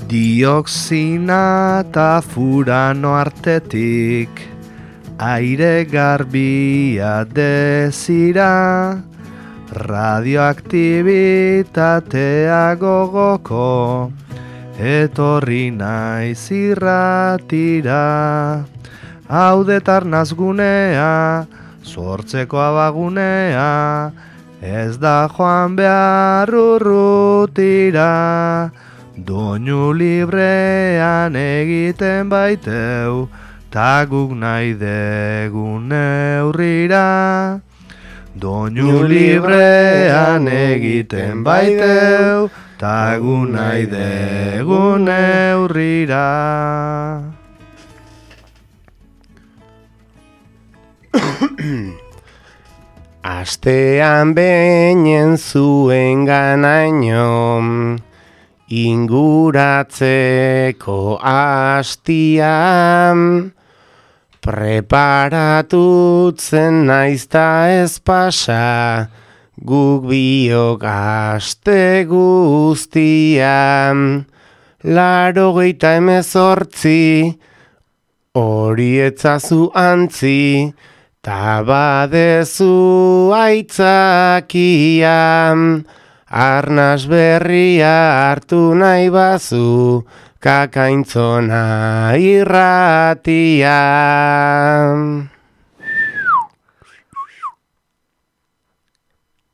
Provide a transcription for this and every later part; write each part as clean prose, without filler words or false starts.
Dioxina eta furano artetik aire garbia dezira, radioaktibitatea gogoko etorri naiz irratira. Hau detarnaz gunea, sortzeko abagunea, ez da joan behar urrutira. Doinu librean egiten baiteu, ta guk nahi degun neurrira. Doinu librean egiten baiteu, ta guk nahi degun neurrira. Astean beinen zuen ganaino, inguratzeko hastian, preparatutzen naizta ez pasa, guk biok aste guztian. 98 hori etzazu antzi, ta badezu aitzakian. Arnas berria hartu nahi bazu, kakaintzona irratian.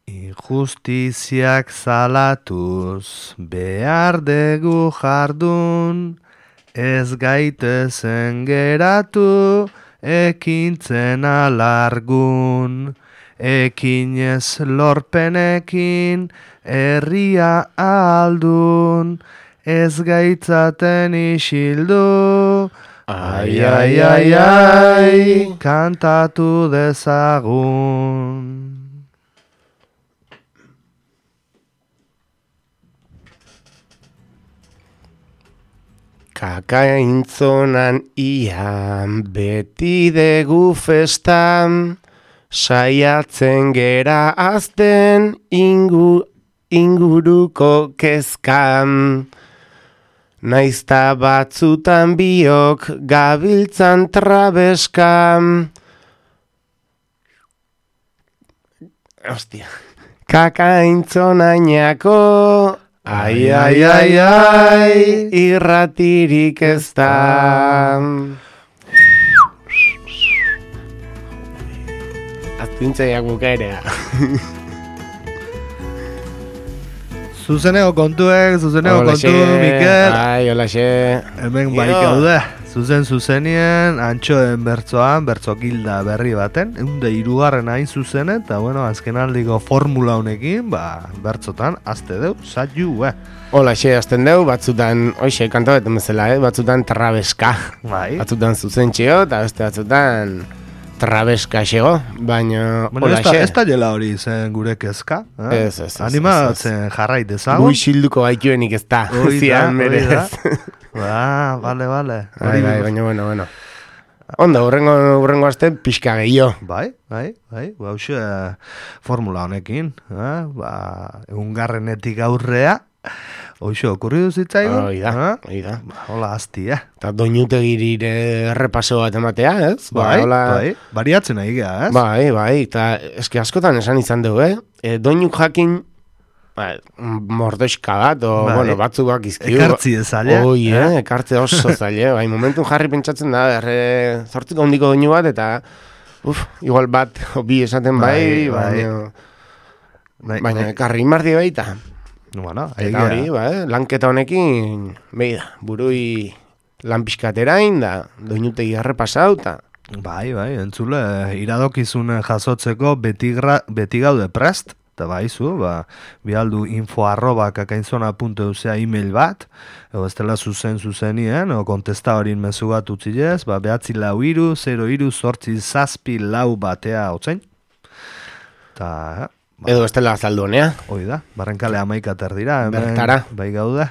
Injustiziak zalatuz behar dugu jardun, ez gaitezen geratu ekintzen alargun. Ekinez lorpenekin herria aldun, ez gaitzaten isildu. Ai, ai, ai, ai, kantatu dezagun. Kakaintzonan ian beti degu festan, saiatzen gera azten inguruko kezkan. Naizta batzutan biok gabiltzan trabeskan. Ostia. Kakaintzonainako, ai, ai, ai, ai, irratirik ez da. Azpintzaiak bukaerea. Zuzeneko kontuek, Mikel. Ai, holaxe. Hemen bai gaude. Zuzenien, antxoen bertzoan, bertzo gilda berri baten, 103 hain zuzen, eta bueno, azkenaldiko formula honekin, bertzotan, azte deu, zaiu, Holaxe, azten deu, batzutan, oixe, kantabetan bezala, batzutan trabeska. Bai. Batzutan zuzentxeo, eta beste batzutan trabeska xego, baina holaxe. Ez da jela hori zen gure kezka. Ez. Animatzen jarrait dezagun. Guixilduko gaituenik ez da. Zian berez. Vale. Bai, baina, bueno. Onda, urrengo aste pixka gehiago. Bai, hauxe formula honekin. Egungarrenetik aurrea, hoxe okurri duzitzaigun. Hoi da. Hola, asti, Eta doinutegirire errepaso bat ematea, ez? Bai, bariatzen nahi geha, ez? Bai, eta eski askotan esan izan dugu, doinuk jakin, mordoxka bat, bueno, batzuk izkiu. Ekartzi zaila. Ekartze oso zaila. Bai, momentun jarri pentsatzen da, zortzik ondiko doinu bat, eta igual bat, bi esaten baina ekarri mardi baita. Bueno, eta hori, lanketa honekin, burui lan pixkaterain, da, doinutegi errepasau, eta... Bai, entzule, iradokizun jasotzeko beti gaude prest, eta baizu, bialdu info@kakainzona.eusea email bat, edo ez dela zuzenien, o kontesta horin mezu bat utzilez, 94303 batea hotzain. Eta, edo ez dela azaldu honea. Hoi da, barrenkale 11 dira, bertara. Bai gaude,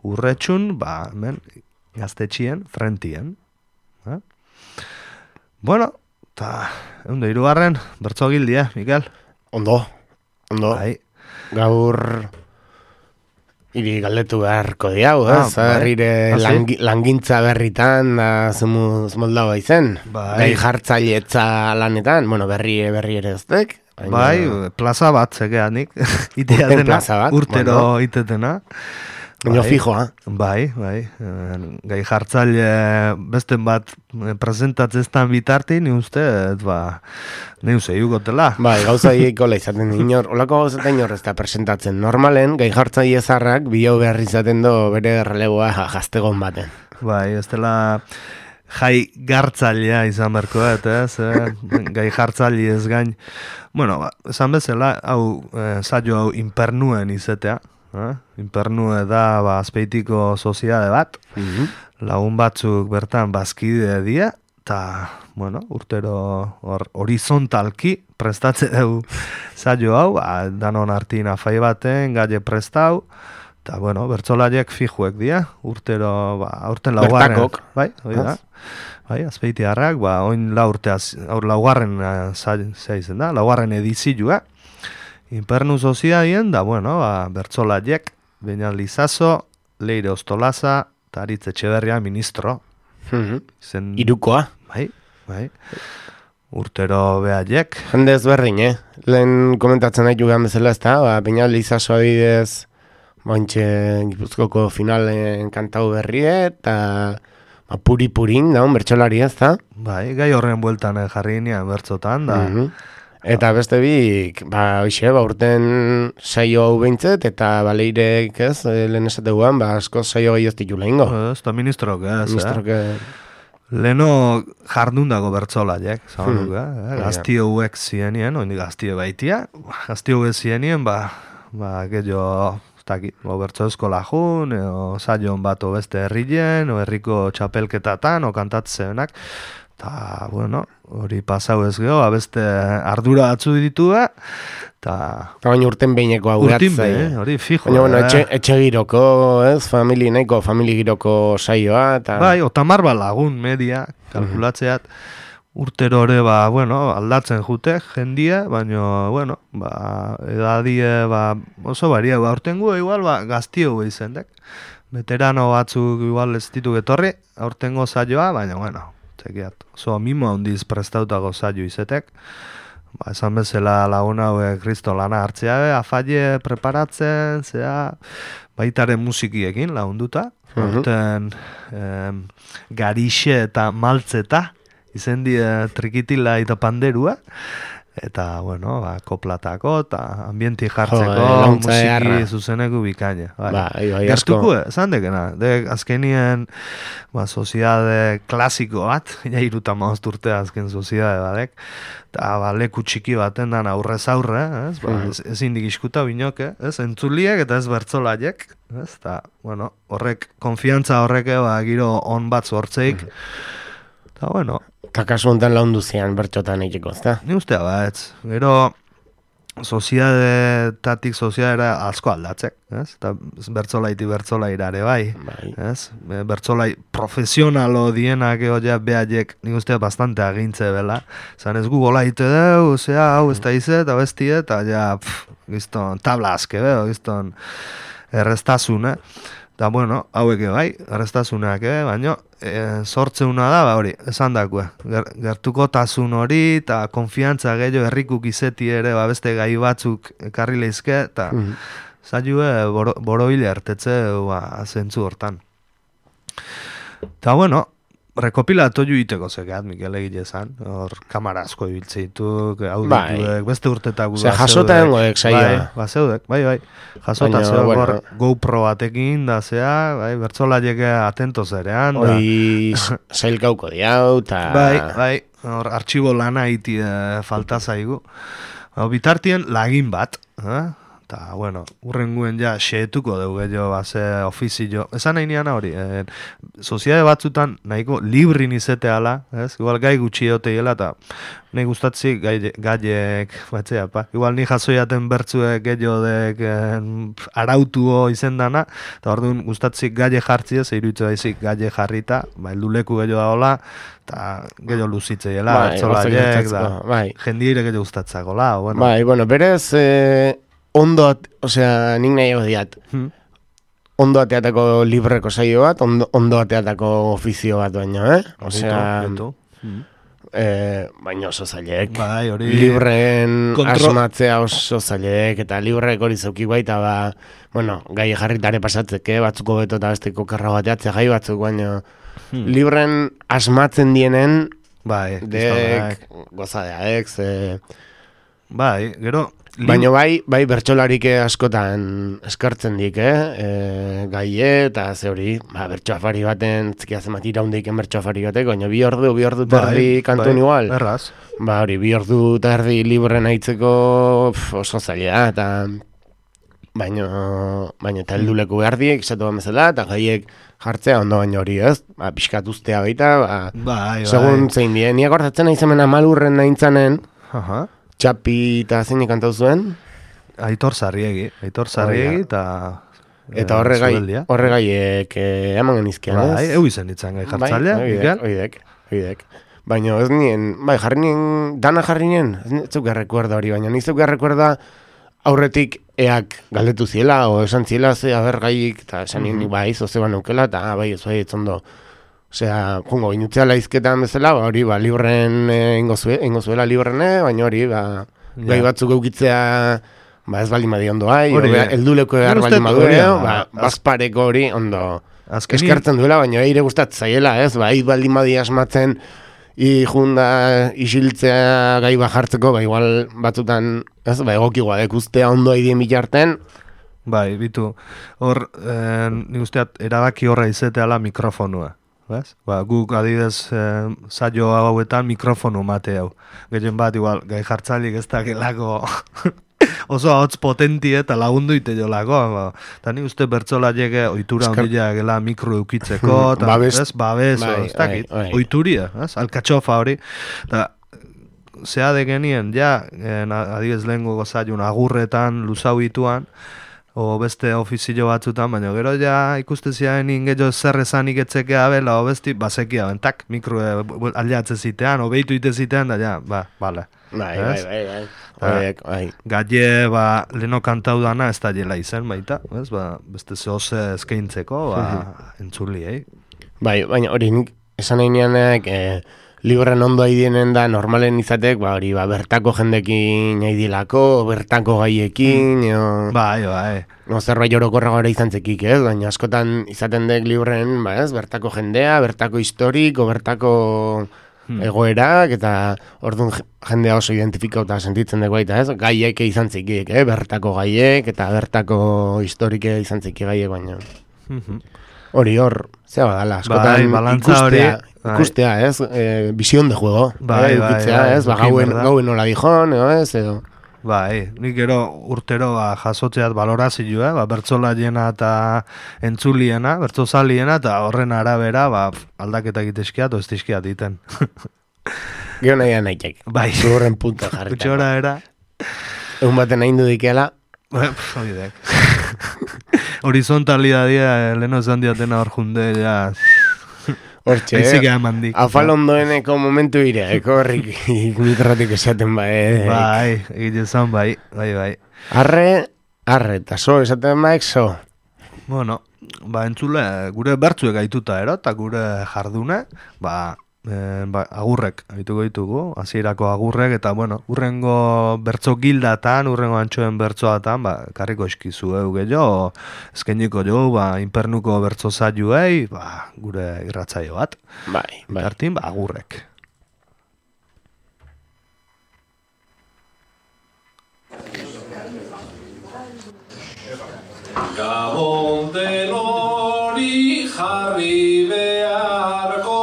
urretxun, hemen gaztetxien, frentien. Bueno, eta, 103, bertzo gildia, Mikel. Ondo. Bai. Gaur Iri galdetu beharko diau, ez? Herrire langintza berritan, da zemuz moldau izen. Gai jartzailetza lanetan, bueno, berri ere eztek. Bai, plaza bat zegeanik, itea dena, urtero itetena. Baina fijoa. Bai, gai jartzaile besten bat presentatzeztan bitarti, ni uste, ne uste, jugotela. Bai, gauza ikola izaten inor, olako gauza inor ez da presentatzen. Normalen, gai jartzaile zarrak, bilau behar izaten do bere relegoa gaztegon baten. Bai, ez dela jai gartzailea izan berko, ez, gai jartzaile ez gain. Bueno, esan bezala, saio hau impernuen izetea. Impernue da azpeitiko soziade bat, lagun batzuk bertan bazkide dia, eta, bueno, urtero horizontalki prestatze dugu saio hau, danon artin afai baten, gaie prestau, eta, bueno, bertsolariek fijuek dia, urtero, aurten laugarren. Bertakok. Bai, hori da. Bai, azpeitiarrak, oin laugarren zaizen da, laugarren edizioa, Impernu soziadien, da, bueno, bertsolaiek, Beñat Lizazo, Leire Ostolaza, eta Aritz Etxeberria ministro. Irukoa. Bai. Urtero behaiek. Jende ezberdin, Lehen komentatzen nahi jugan bezala ez da, Beñat Lizazo abidez, bantxe Gipuzkoko finalen kantau berrie, eta puri-purin, da, bertsolari ez da. Bai, gai horren bueltan jarri nian bertzotan, da. Eta beste bik, urten saio hau behintzet, eta baleirek, ez, lehen esateguan, asko saio gehi ez ditula ingo. Ez, eta ministrok, Leno jardun dago bertsolaiek, zabanuk, gaztio huek zienien, oindik gaztio baitia, gaztio huek zienien, gehiago, bertso eskola jun, o saion bat o beste herrien, o herriko txapelketatan, o kantatzenak, eta, bueno, hori pasau ez geho, beste ardura batzu ditu, eta baina urten behineko hau gatzai. Hori fijo. Baina, bueno, etxe giroko, ez, famili giroko saioa, eta bai, otamar lagun media, kalkulatzeat, urtero ere, aldatzen jute, jendia, baina, bueno, edadie, oso baria, aurtengo, igual, gaztio izendek. Veterano batzuk, igual, ez ditu getorri, aurtengo saioa, baina, bueno, oso mimo handiz prestautago saio izetek. Esan bezala lagun hauek kristo lana hartzea, afaile preparatzen, baitaren musikiekin lagunduta. Horten garixe eta maltzeta, izen die trikitila eta panderua. Eta, bueno, koplatako eta ambienti jartzeko musiki zuzeneko bikaine. Gertuko, esan dekena. Azkenien, soziade klasiko bat, iruta maozturte azken soziade badek, eta leku txiki baten dan aurrez aurre, ez indik iskuta binoke, entzuliek eta ez bertzolaiek, eta, bueno, horrek, konfiantza horrek, giro on bat zortzeik, eta, bueno, eta kasu honetan laundu zian bertxotan egiteko, ezta? Ni ustea ez. Gero, soziadetatik soziadera asko aldatzek, ez? Eta bertzolaira ere bai, ez? Bertzolai profesionalo dienak egoia behaiek, nik ustea bastante agintze bela. Zan ez gola ite deu, hau ez da izet, hau ez tiet, eta gizton tabla azke, gizton errestazun, eta, bueno, hauek bai, errestasunak, baina sortzeuna da, hori, esan dakue. Gertuko tasun hori, eta konfiantza gehiago herrikuk izeti ere, beste gai batzuk ekarri lehizke, eta zailue boroile hartetze zentzu hortan. Eta, bueno, rekopilatu iteko zekeat, Mikel egile zan, hor kamara asko ibiltzeituk, audituek, beste urtetak jasota dengoek saioa. Zeudek, bai, jasota zeudek, GoPro batekin, da bertzolaiek atento zerean. Hoi sailkauko diau, eta bai, hor artxibo lana iti falta zaigu. Bitartien lagin bat, eta, bueno, urrenguen xeetuko dugu gehiago, ofizio. Esan nahi niana hori, soziade batzutan nahiko librin izeteala, igual gai gutxi egoteela, eta nahi gustatzi gaiek, igual ni jasoiaten bertzuek gehiodek arautuo izendana, eta orduan gustatzi gaie jartzi ez, iruitzu daizik gaie jarrita, helduleku gehiago da hola, eta gehiago luzitzeiela, bertzolaiek, jendiire gehiago gustatzakola. Bai, bueno, berez, ondo, nik nahi diat, ondo ateatako libreko saio bat, ondo ateatako ofizio bat baino, Osea, baina oso zailek. Bai, hori... Libreen asmatzea oso zailek, eta librek hori zeukik baita, bueno, gai jarritare pasatzeke, batzuko beto eta besteko kerra bateatzea gai batzuk, baina libreen asmatzen dienen, bai, dek, gozadeak, bai, gero... Baina bai bertsolarik askotan eskartzen dik, gaie eta ze hori, bertsoafari baten, zikia zemat iraundiken bertsoafari batek, baina bi ordu terdi kantun igual. Erraz. Hori, 2 ordu terdi libren aitzeko oso zaila, eta baina eta helduleku behar diek, esatu bezala, eta gaiek jartzea ondo baino hori, ez? Pixkat ustea baita, segun zein dien. Niak horretzen nahi zemen Amalurren nahintzanen, Txapi eta zeinik kantau zuen? Aitor Sarriegi eta... Eta horregaiek eman genizkian, ez? Bai, eu izan ditzen gai jartzailea, oidek. Baina ez nien, jarri nien, dana jarri nien, ez zuk errekuerda hori, baina nizuk errekuerda aurretik eak galdetu ziela, o esan ziela, ze abergaik, eta esan nien, bai, zoze banaukela, eta bai, ez bai, etzondo. Osea, jungo, inutzea laizketan bezala, hori, libren ingo zuela librene, baina hori, gai batzuk eukitzea, ez bali madi ondo elduleko behar bali madure, bazpareko hori ondo eskartzen duela, baina eire gustat zaiela, ez, bali madi asmatzen, isiltzea gai bajartzeko, igual batzutan, ez, egokigoa dekustea ondo aidien bitarten. Bai, bitu, hor, nik usteat, erabaki horra izeteala mikrofonua. Guk adidez saio hauetan mikrofonu mate hau. Gehien bat, igual, gai jartzalik ez dakelako oso hotz potentie eta lagundu ite jolako. Eta ni uste bertzola jege oitura ondila gela mikro eukitzeko, babes, ez dakit, oituria, alkatxofa hori. Zea de genien, adidez lehengo gozaiun agurretan luzau ituan, o beste ofizio batzutan, baina gero ikusteziaen ingeio zer esanik etzekea bela, o besti, basekia, bentak, mikro aliatze zitean, o behitu ite zitean, da bale. Bai. Gaie, leno kantau dana ez da jela izen, baita, beste zehoze eskaintzeko, entzuli, Bai, baina hori esan nahi nianek, libren ondo aidienen da normalen izatek, hori, bertako jendekin aidilako, bertako gaiekin, Bai. Zerbait orokorra gara izan zekik, ez? Baina askotan izaten dek libren, bertako jendea, bertako historiko, bertako egoerak, eta orduan jendea oso identifikauta sentitzen dek baita, ez? Gaiek izan zekik, bertako gaiek, eta bertako historike izan zekik gaiek, baina... Hori zea badala, askotan ikustea, ez? Visión de juego, eukitzea, ez? Gauen nola dijon, ez? Bai, nik gero urtero jasotzeat balorazioa, bertzola jena eta entzuliena, bertzozaliena, eta horren arabera aldaketa egitezkiat, ez dizkiat iten. Gero nahiak, zurren punta jarrita. Kutxora era. Egun baten nahi dudikela. Horizontalidadea, leheno esan diatena hor junde, Hortxe, afal ondoeneko momentu ireako horrik mikratik esaten Bai, egite zan bai. Arre, eta so, esaten so. Bueno, entzule, gure bertzuek gaituta eta gure jardune, agurrek gaituko ditugu, hasierako agurrek, eta urrengo bertzo gildatan, urrengo antxoen bertzoatan, karriko eskizu gehiago, eskeniko jo, inpernuko bertzo zaiuei, gure irratzaio bat. Bai. Artin, agurrek. Gabon denori jarri beharko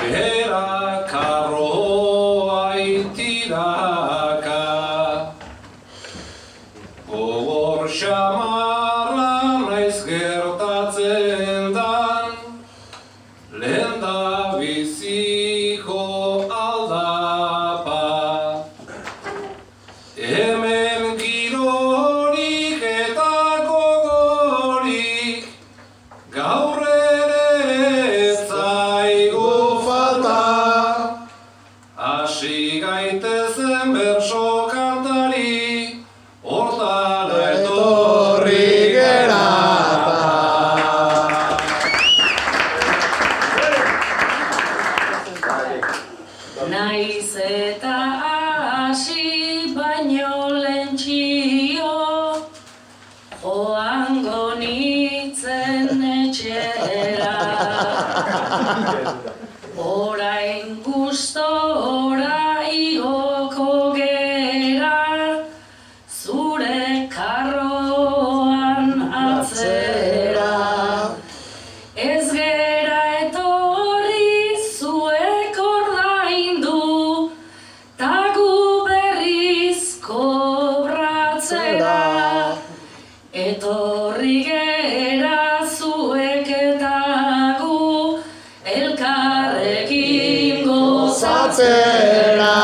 Era karroa itiraka Gogor xamarra naiz gertatzen dan Lehen da biziko aldapa Hemen girorik eta gogorik Gaur gaitezen berso kantari, hortara etorri. joango nitzen etxera. Orain gustora igoko gera, zure karroan atzera. Ez gera etorri zuek ordaindu, ta gu berriz kobratzera. Etorri gera zuek eta gu elkarrekin gozatzera.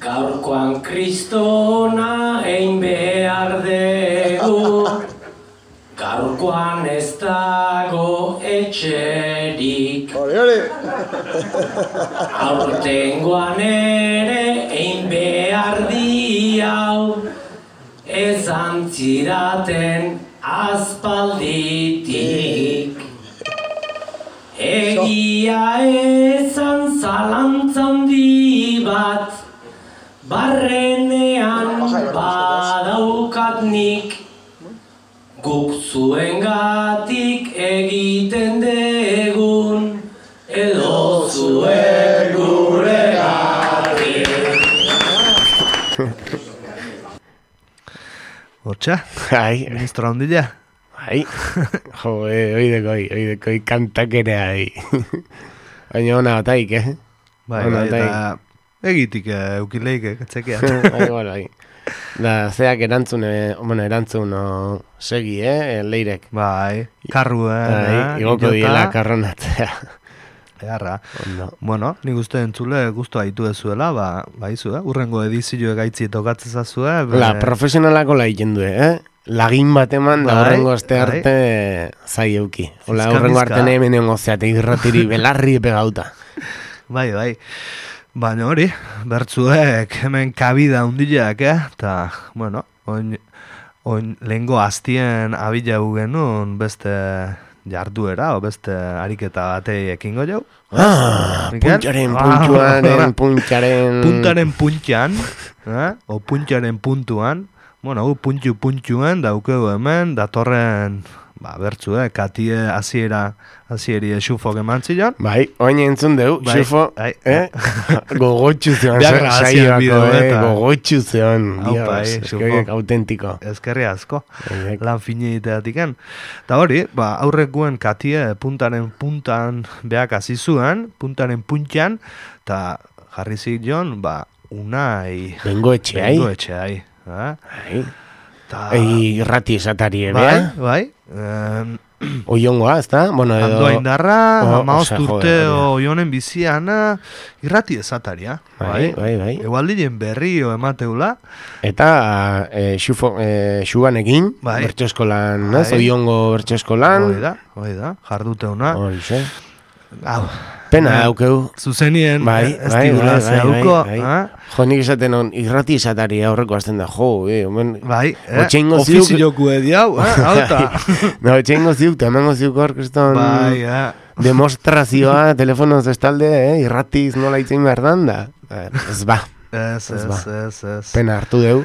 Gaurkoan kristona egin behar dugu, gaurkoan ez dago etxerik. Aurtengoan ere egin behar diau, ez antzidaten aspalditik. Egia ezan zalantza handi bat, barrenean badaukat nik. Guk zuengatik egiten degun, edo zuen guregatik. Hortxa, Ai, ministro handila. ai. Jo, oidekoi kantakera, ai. Baina ona bataik, Bai, Ona, bai, bai. eta egitik eukileik, etxekean. Bai, igual, bai. Da, zeak erantzun segi, leirek. Bai, karruen, Bai, igoko diela karronatzea. Egarra. Ondo. Bueno, nik uste entzule guztu haitu ezuela, baizu, urrengo edizio gaitzi tokatzen zazue. La profesionalako la egiten du, Lagin bat eman da Bai, horrengo aste bai. arte zai euki. Ola, Fizka, horrengo fizka. arte hemen egon zeate irratiri belarri pegauta. Bai, bai. Baina hori, bertzuek hemen kabida hundileak, eta, bueno, oin lehengo aztien abilau genuen beste jarduera, o beste ariketa batei ekingo jau. Mikel? Puntxaren. Puntaren puntxan, o puntxaren puntuan, bueno, puntxuan daukegu hemen, datorren, katie hasieri xufok eman zion. Bai, oin entzun deu, Bai, xufo, bai. gogotxu zeon, Behar grabazioan bideoetan. gogotxu zeon, Aupa, Dios, xufo. eskoiek autentiko. Eskerri asko, Bai. lan fine egiteatiken. Eta hori, aurrekuen katie puntaren puntan behak hasi zuen, puntaren puntxan, eta jarri zion, unai... Bengo etxeai. Bengo etxeai. Bai. Ta... Irrati esatari ebea. Bai. Oiongoa, ez da? Bueno, edo... Ando indarra, amaoz osea, urte joder, oionen biziana, irrati esataria. Bai. Egualdien berri emateula. Eta xubanekin, Bai. bertso eskolan, Bai. ez? Oiongo bertso eskolan. Hoi da, jarduteuna. Horixe. Hau, Pena daukeu. zuzenien ez bai, digula zehauko. Jo, nik esaten on, irrati esatari aurreko azten da, omen... Bai, Otxeingo ziuk... ofizioku ediau, hauta. No, otxeingo ziuk, eta emango ziuk orkeston... Bai, demostrazioa, telefonoz estalde, irratiz nola itzen behar dan da. Ez ba, Ez. pena hartu deu.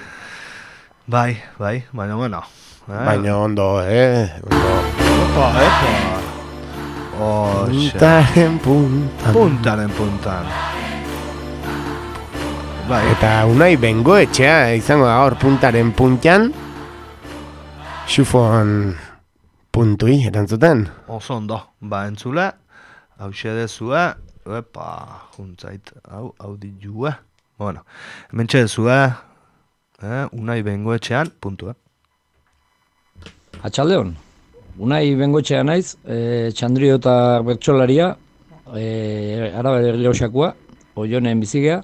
Bai, baina bueno. Baina ondo, ondo. Puntaren puntan. Bai, Eta unai bengo etxea izango da hor puntaren puntan, xufon puntui erantzuten. oso ondo. Entzule, hau xedezue, juntzait, hau ditue. Bueno, hemen txedezue, unai bengoetxean, puntua. Atxaldeon, unai bengoetxea naiz, txandrio eta bertsolaria, Arabar Errioxakoa, Oionen bizigea,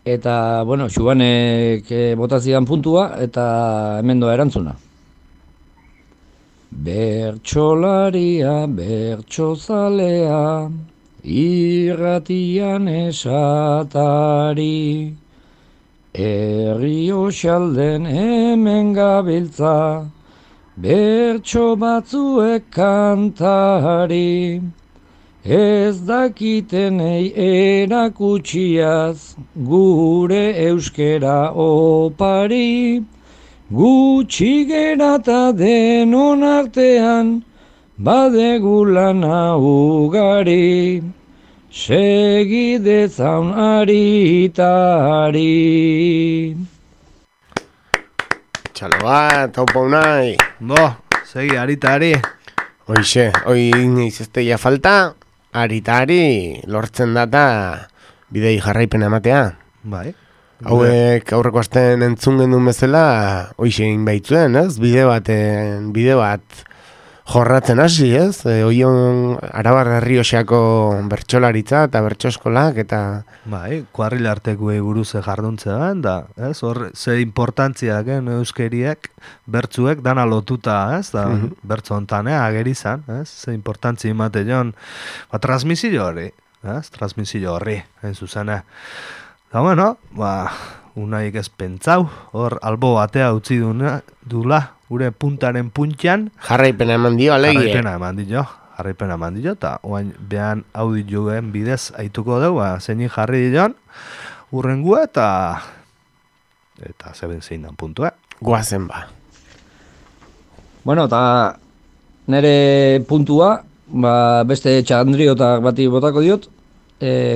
eta, bueno, xubanek botazidan puntua, eta hemen doa erantzuna. Bertsolaria, bertsozalea, irratian esatari, Errioxalden hemen gabiltza, bertso batzuek kantari, ez dakitenei erakutsiaz, gure euskera opari, gutxi gerata denon artean, badegu lana ugari, segi dezaun aritari. Txalo bat, haupa unai. Segi, aritari. Hoixe, hoi izazteia falta, aritari lortzen data bidei jarraipena ematea. Bai. Hauek aurreko astean entzun gendun bezala, hoixe egin baitzuen, ez? Bide bat jorratzen hasi, ez? Oion Arabar Errioxako bertsolaritza eta bertsoskolak eta... Bai, kuarril artekuei buruz jarduntzen da, ez? Hor, ze importantzia gen euskeriek, bertzuek dana lotuta, ez? Da, bertzo hontan, ageri zan, ez? Ze importantzia imate joan, transmisio hori, ez? Transmisio horri, hain zuzena. Da, bueno, unaik ez pentsau, hor albo batea utzi dula, gure puntaren puntxan. Jarraipena eman dio, alegie. Jarraipena eman dio, eta oain behan audioen bidez aituko dugu, zeinin jarri dion, urrengua eta zeben zein dan puntua. Guazen ba. Bueno, eta nire puntua, beste txandriotak bati botako diot,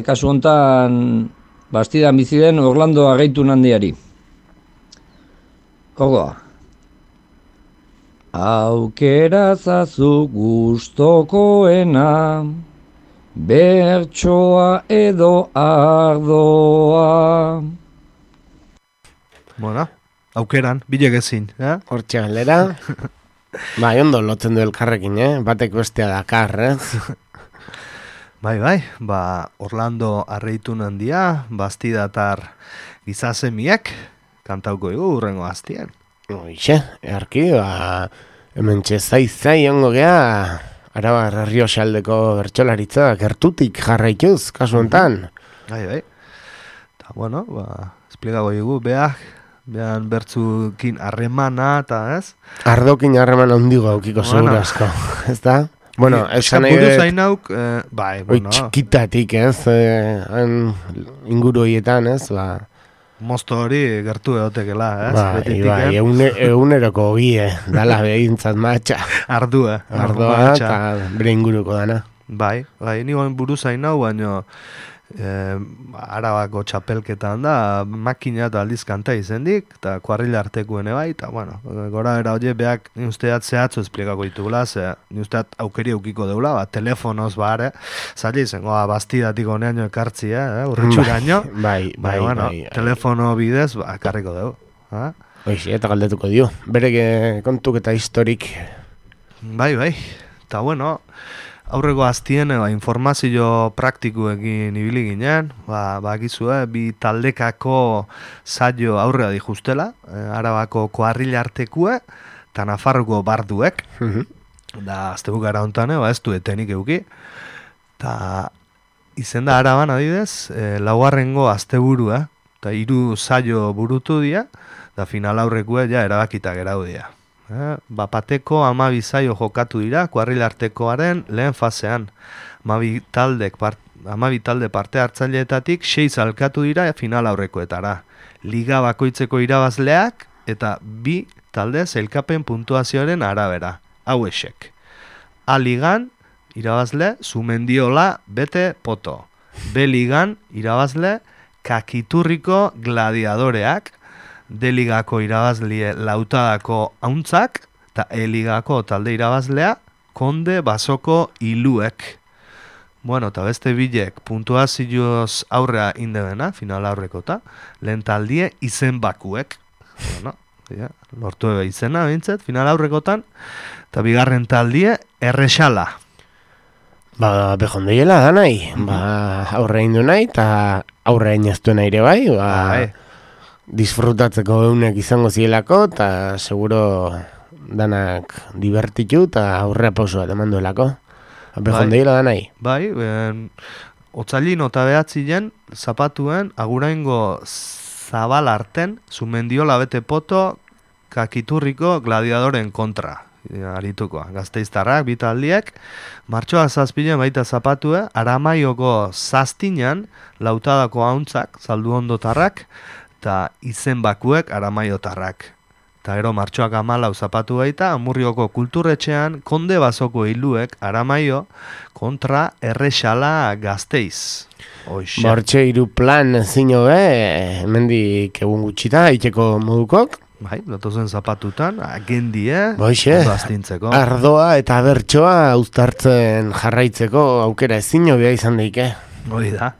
kasu hontan bastidan bizi den Orlando Argaitun handiari. Ordoa. Aukera zazu gustokoena, bertsoa edo ardoa. Bueno, aukeran, bilek ezin, Hortxe galera. Ondo lotzen du elkarrekin, batek bestea dakar, Bai, Orlando Argaitun handia, bastidatar gizasemiak, kantauko egu urrengo aztien. Hoixe, earki, hemen txezai ongo gea, Arabar Errioxaldeko bertsolaritza gertutik jarraituz, kasu hontan. Bai. Eta, bueno, esplikago egu, behan bertzukin harremana, eta ez? Ardokin harremana hondigo aukiko segurazko, ez da? Bueno, esan nahi dut... zainauk, txikitatik, ez? Inguru horietan, ez? Mozto hori gertu egotekela, ez? Bai, eguneroko gie, dala behintzat matxa. Ardua eta bere inguruko dana. Bai, nigoen buru zainau, baina Arabako txapelketan da, makina eta aldiz kanta izendik, eta kuarrila artekuene bai, eta bueno, gora era hori beak ni usteat zehatzu esplikako ditugula, ni usteat aukeri eukiko deula, telefonoz zaila izango, bastidatik honean ekartzi, urritxuraino, Bai, telefono bidez, karriko dugu. Hoixe, eta galdetuko dio, bere kontuk eta historik. Bai, eta bueno, aurreko aztien informazio praktikuekin ibili ginen, bakizue, bi taldekako saio aurrea dijustela, Arabako kuarrila artekue, eta Nafarroko barduek, da aztebukara hontan, ez du etenik euki, eta izenda Araban adibidez, laugarrengo asteburua, eta 3 saio burutu dira, da final aurrekue erabakita gerau dira. Bapateko 12 saio jokatu dira, kuarrila artekoaren lehen fasean. 12 talde parte hartzaileetatik 6 alkatu dira final aurrekoetara. Liga bakoitzeko irabazleak eta 2 talde sailkapen puntuazioaren arabera. Hau esek. A ligan irabazle Zumendiola Bete Poto. B ligan irabazle Kakiturriko Gladiadoreak. D-ligako irabazlie Lautadako Hauntzak, eta E-ligako talde irabazlea Konde Basoko Iluek. Bueno, eta beste bilek puntuazioz aurrea indebena, final aurrekota, lehen taldie izen bakuek. Bueno, lortu ebe izena, bintzet, final aurrekotan, eta bigarren taldie errexala. Behondeiela da nahi, aurre indu nahi, eta aurre inaztu nahi ere bai, disfrutatzeko eunek izango zielako, eta seguro danak divertitu, eta aurrea pauso bat eman duelako. Behondeiela da nahi. Bai, otzailin eta behatzien, zapatuen, aguraingo zabal arten, Zumendiola Bete Poto, Kakiturriko Gladiadoren kontra. arituko. Gasteiztarrak, bitaldiek, martxoak 7 baita zapatue, Aramaioko zaztinan, lautadako hauntzak, zalduondotarrak, eta izen bakuek Aramaiotarrak. Eta gero martxoak 14 zapatu baita, Amurrioko kulturretxean, konde basoko hiluek Aramaio kontra Errexala Gasteiz. Hoxe. Bortxe hiru plan zino hemendik egun gutxita, itxeko modukok. Bai, datozen zapatutan, agendie, Boixe, astintzeko. ardoa eta bertsoa uztartzen jarraitzeko aukera ezin hobea izan daike. Hoi da.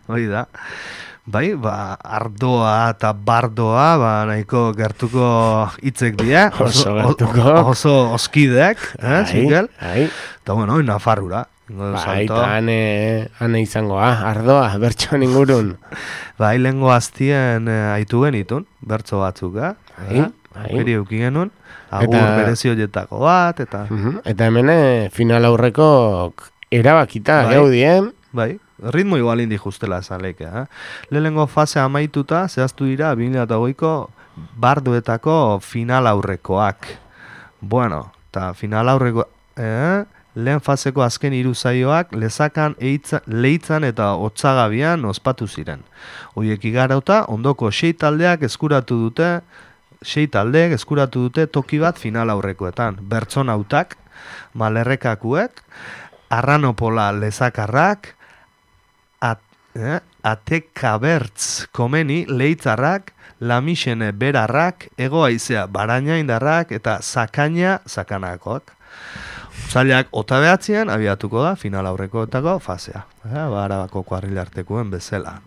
Bai, ardoa eta bardoa, nahiko gertuko hitzek dira. Oso gertuko. Oso oskideak, Mikel? Bai. Eta bueno, Nafarrura. Bai, eta ane izangoa, ardoa, bertsoan ingurun. Bai, lehengo aztien aitu genitun, bertso batzuk, Bai. Aukeri euki genuen, agur berezi horietako bat, eta... Eta hemen final aurreko erabakita, gaudien. Bai, ritmo igual indi justela esan leike, Lehengo fase amaituta, zehaztu dira, 2008ko barduetako final aurrekoak. Bueno, eta final aurreko... Lehen faseko azken 3 saioak Lezakan, Leitzan eta Otsagabian ospatu ziren. Hoiek igarauta, ondoko 6 taldeek eskuratu dute toki bat final aurrekoetan. Bertsonautak, Malerrekakuek, Arranopola Lezakarrak, Atekabertz Komeni Leitzarrak, Lamixene Berarrak, Ego Haizea Barainaindarrak eta Zakaina Zakanakoak. Zailak ota behatzean abiatuko da final aurrekoetako fasea. Arabako kuarrilartekuen bezala.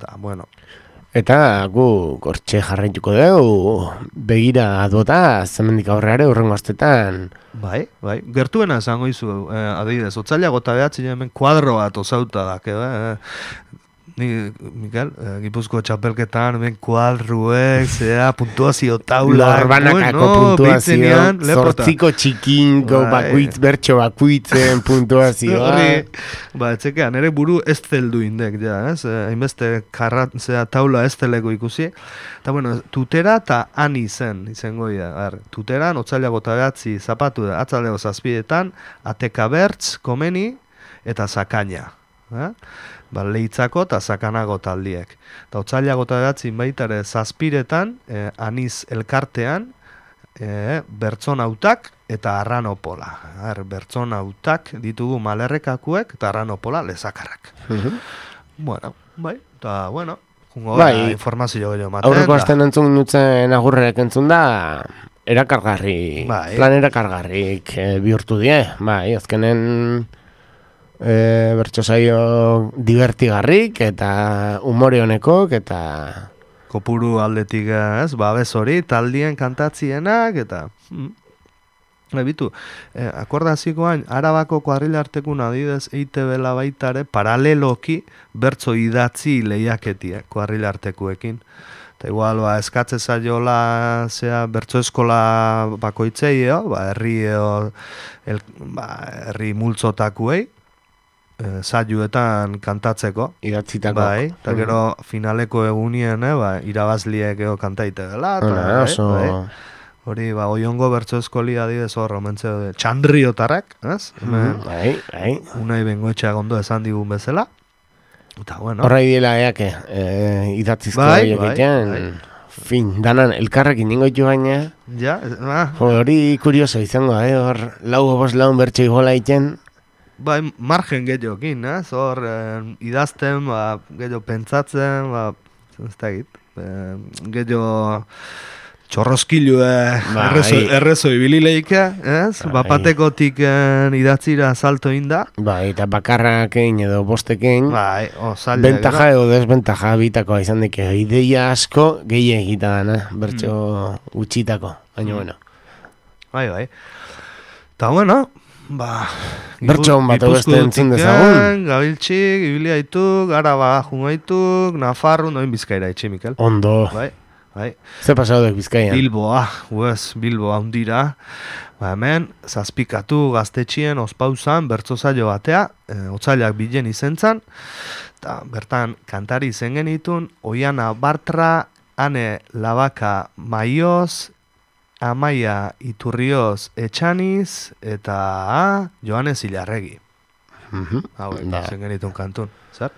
Eta gu gortxe jarraituko dugu, begira adota, zemendik aurreare urrengo astetan. Bai. Gertuena esango izu, adibidez, otzailak ota behatzean hemen kuadro bat osauta da, Ni, Mikel, Gipuzko txapelketan, ben kuadruek, puntuazio taula. Lorbanakako puntuazio, zortziko txikinko, bertxo bakuitzen puntuazioa. Etxekean, ere buru ez zeldu indek, hainbeste taula ez zeleko ikusi. Eta, tutera eta ani izango dira. Tuteran, otzailako eta behatzi zapatu da, atzaldeko zazpidetan, Atekabertz, Komeni eta Zakaina. Leitzako eta Zakanago taldiek. Eta otzailako eta behatzin baitare zazpiretan, aniz elkartean, bertsonautak eta Arranopola. Bertsonautak ditugu Malerrekakuek eta Arranopola Lezakarrak. Informazio gehiago maten. Aurreko asten entzun nutzen agurrerek entzun da, erakargarri, plan erakargarrik bihurtu die. Azkenen... bertso saio divertigarrik eta umore honekok eta kopuru aldetik babes hori taldien kantatzienak eta akordazikoan Arabako kuadrilartekun adidez EITB-la baitare paraleloki bertso idatzi lehiaketiek kuadrilartekuekin. Eta igual, eskatze zaiola bertso eskola bakoitzei, herri multzotakuei, saioetan kantatzeko. Idatzitako. Bai, eta gero finaleko egunien, irabazliek kantaite dela. Hori, oiongo bertso eskoli adidez hor, omentze txandriotarrak, unai bengoetxeak ondo esan digun bezala. Horra idela idatzizko egiten. Fin, danan, elkarrekin ningoitu baina. Hori kurioso izango, hor, laun bertso igola iten. Margen gehiagokin, hor idazten, gehiago pentsatzen, ez da egit, gehiago txorroskilu errezo ibilileika, bapatekotik idatzira salto inda. Eta bakarrakein edo bostekein, bentaja edo desbentaja bitakoa izan deke, ideia asko gehiagita dana, bertso utxitako, baina Bai. Eta bertso hon bat beste entzun dezagun. Gabiltxik, Ibiliaituk, Araba jungaituk, Nafarru, noin Bizkaira itxe, Mikel. Ondo. Bai. Ze pasaudek Bizkaian? Bilboa hundira. Hemen, zazpikatu gaztetxien ospauzan, bertso zailo batea, otzailak bilen izentzan, eta bertan kantari izen genitun, Oiana Bartra, Ane Labaka Maioz, Amaia Iturrioz Etxaniz eta Joanes Ilarregi. Hauek, zen genitun kantun, zer?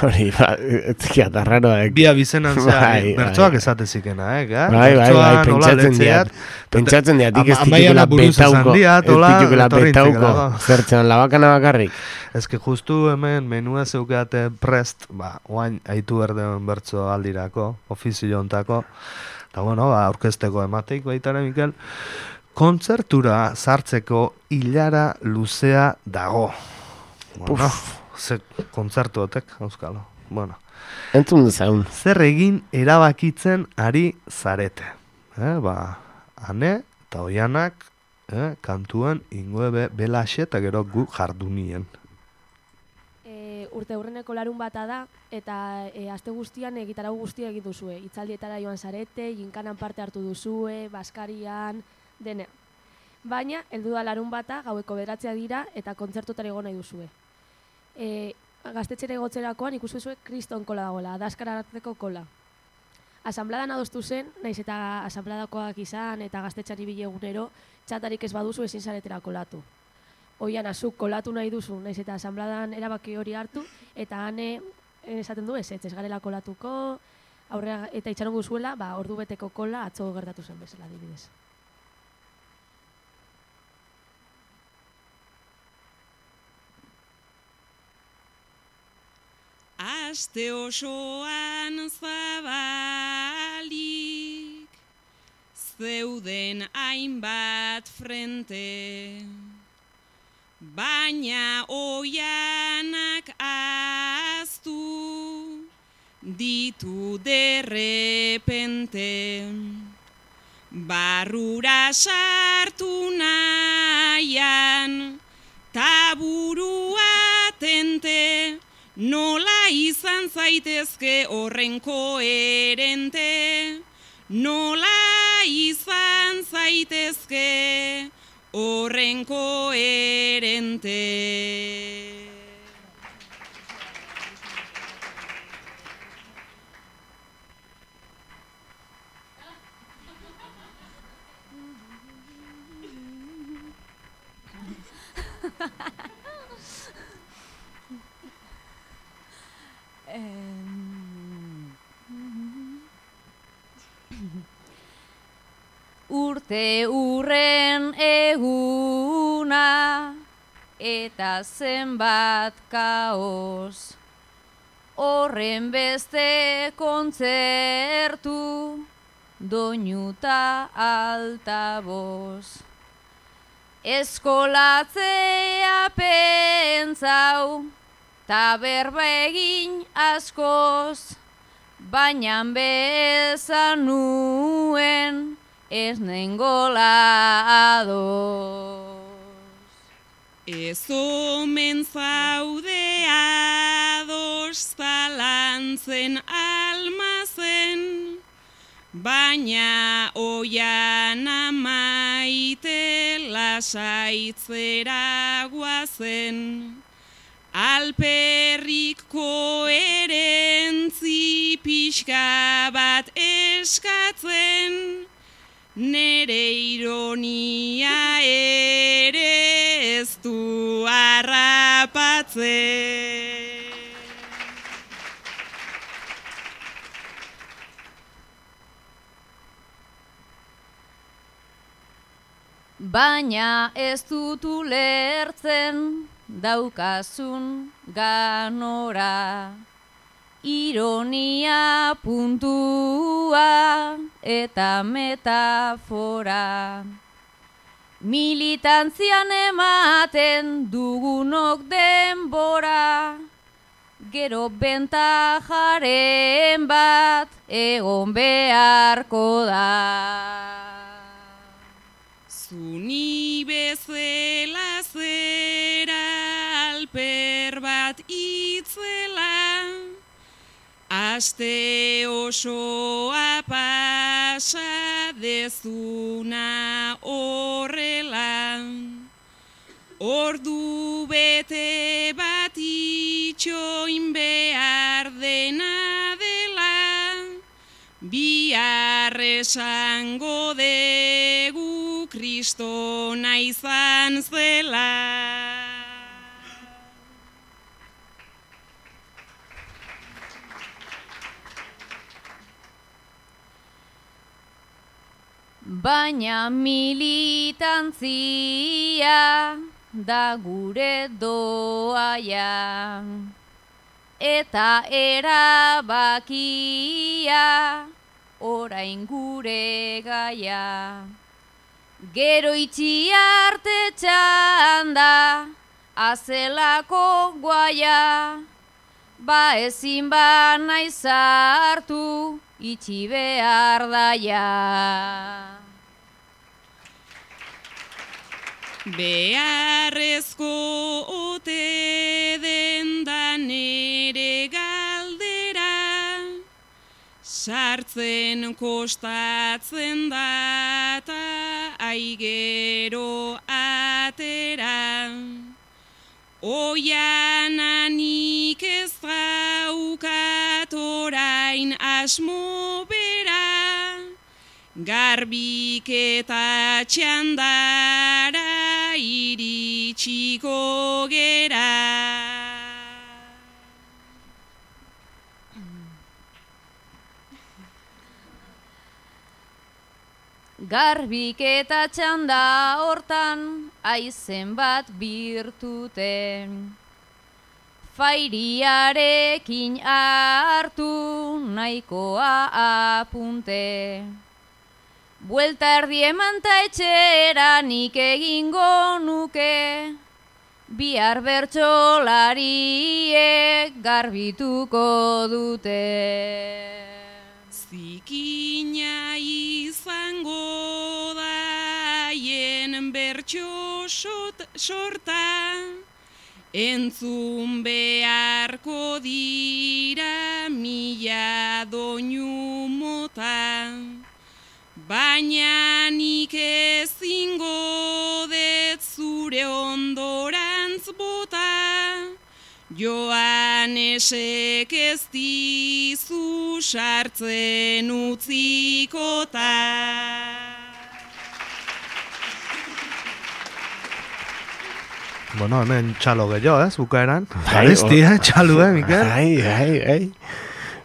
Hori, etzkia da raroa. Bia bizenan zean, bertsoak esatezikena, pentsatzen diatik ez ditukela betauko, zertzen labakana bakarrik. Ez que justu hemen menua zeukeate prest, oain aitu berdeon bertso aldirako, ofizio ontako, eta bueno, aurkezteko emateik baitara, Mikel, kontzertura sartzeko hilara luzea dago. Bueno, ze kontzertuotek, euskalo. Bueno. Entzun dezaun. Zer egin erabakitzen ari zarete. Ane eta oianak kantuen ingoe belaxe eta gero gu jardunien. Urte hurreneko larun bata da, eta aste guztian gitarau guztia egin duzue. Itzaldietara joan zarete, jinkanan parte hartu duzue, baskarian, dene. Baina, heldu da larun bata, gaueko 9 dira, eta kontzertutara egon nahi duzue. Gaztetxera egotzerakoan ikusuzuek kriston kola dagoela, adaskara hartzeko kola. Asanbladan adostu zen, naiz eta asanbladakoak izan eta gaztetxari bilegunero, txatarik ez baduzu ezin zaretera kolatu. Oian azuk kolatu nahi duzu, naiz eta asanbladan erabaki hori hartu, eta hane esaten du ez garela kolatuko, aurrera eta itxaron guzuela, ordu beteko kola atzo gertatu zen bezala adibidez. Aste osoan zabalik, zeuden hainbat frente, baina oianak ahaztu ditu derrepente. Barrura sartu nahian, taburua tente, nola izan zaitezke horren koherente, nola izan zaitezke horren koherente. Urte urren eguna eta zenbat kaos, horren beste kontzertu doinuta altaboz. Eskolatzea pentsau ta berba egin askoz, baina bezan nuen ez nengola adoz. Ez omen zaude ados zalantzen almazen, baina oian amaite lasaitzera guazen. Alperrik koherentzi pixka bat eskatzen, nere ironia ere ez du harrapatzen. Baina ez dut ulertzen daukazun ganora, ironia puntua eta metafora. Militantzian ematen dugunok denbora, gero bentajaren bat egon beharko da. Zuni bezela zera alper bat itzela, aste osoa pasa dezuna horrela. Ordu bete bat itxoin behar dena dela, bihar Bihar esango degu Kristona izan zela. Baina militantzia da gure doaia, eta erabakia orain gure gaia. Gero itxi arte txanda, azelako guaia, ba ezin ba naiz hartu, itxi behar daia. Beharrezko ote den da nere galdera, sartzen kostatzen da ta aigero atera. Oiananik ez daukat orain asmo bera, garbik eta txandara iritsiko gera. Garbik eta txanda hortan aizen bat birtuten, fairiarekin hartu nahikoa apunte. Buelta erdi eman ta etxera nik egingo nuke, bihar bertsolariek garbituko dute. Zikina izango da haien bertso sorta, entzun beharko dira mila doinu mota. Baina nik ezingo dut zure ondorantz bota, Joanesek ez dizu sartzen utzikota. Bueno, hemen txalo gehiago, bukaeran. Garesti, txalo, Mikel? Ai.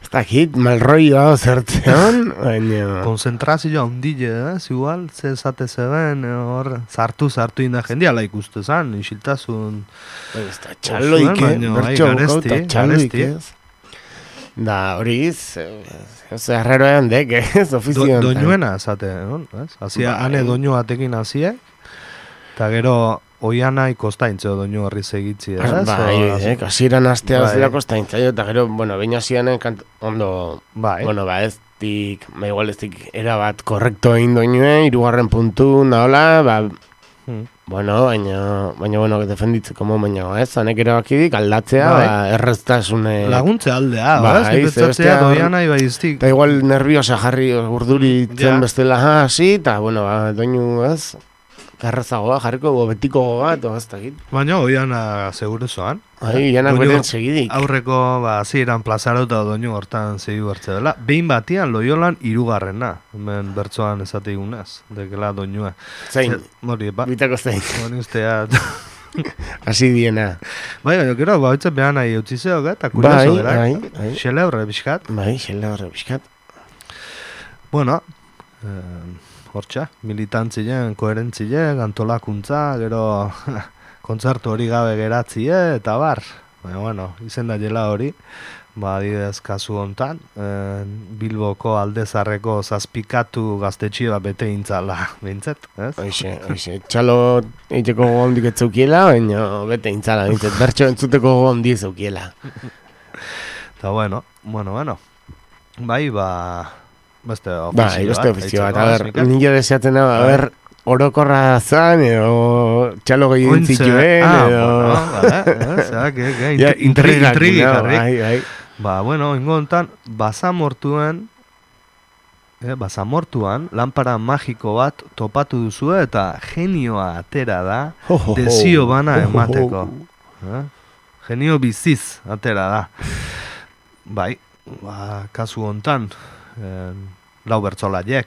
Ez dakit, malroioa zertzean, baina... Konzentrazioa hundile, igual, ze esate zeben, hor, sartu inda jendiala ikuste zan, isiltasun... Ez da, txaloik, bertxo bukauta, txaloik, ez. Da, horiz, ez arraroan dek, ez, ofizioan. Doinuena, esate, ez? Azia, ane doinu batekin hazie, eta gero... Oiana ikostaintzeo doinu horri segitzi, ez? Bai, kasiran astea zela kostaintzeo, eta gero, bueno, baina zianen ondo, bueno, ba, ez dik, igual ez dik, erabat korrekto egin doinue, 3. puntu, nahola, ba, bueno, baina, bueno, defenditzeko baina, ez? Hanek erabakidik aldatzea, ba, erreztasune... Laguntze aldea, ez? Nipetzatzea doiana ibaiztik. Eta igual nerviosa jarri urduritzen bestela hasi, eta, bueno, ba, doinu, ez? Garrazagoa, jarriko betiko bat, ez dakit. Baina, oiana seguru zoan. Oiana beren segidik. Aurreko, ziren plazarauta doinu hortan segidu hartze dela. Behin batian Loiolan 3. Hemen bertsoan esate igunez, dekela doinua. Zein? Mori, bitako zein. Mori ustea. Asi diena. Bai, gero, baitzen behan nahi utzizeo, eta kurioso dira. Bai. Xele horre biskat. Bai, xele horre biskat. Bueno, hortxa, militantzien, koherentzien, antolakuntza, gero kontzertu hori gabe geratzie, eta bar. Baina, bueno, izen da jela hori, ba, adidez kasu hontan, Bilboko aldezarreko zazpikatu gaztetxia bete intzala, behintzet, ez? Hoxe, txalo eiteko gondik etzaukiela, baina bete intzala, behintzet, bertxo entzuteko gondi ezaukiela. Eta, bueno, bai, ba... Beste ofizio bat, a ber, nire deseatzen a ber, orokorra zan, edo txalo gehien zituen, edo... Intrigi jarri. Ba, bueno, ingontan, basamortuan, lanpara magiko bat topatu duzu eta genioa atera da, desio bana emateko. Genio biziz atera da. Bai, kasu hontan, lau bertsolaiek,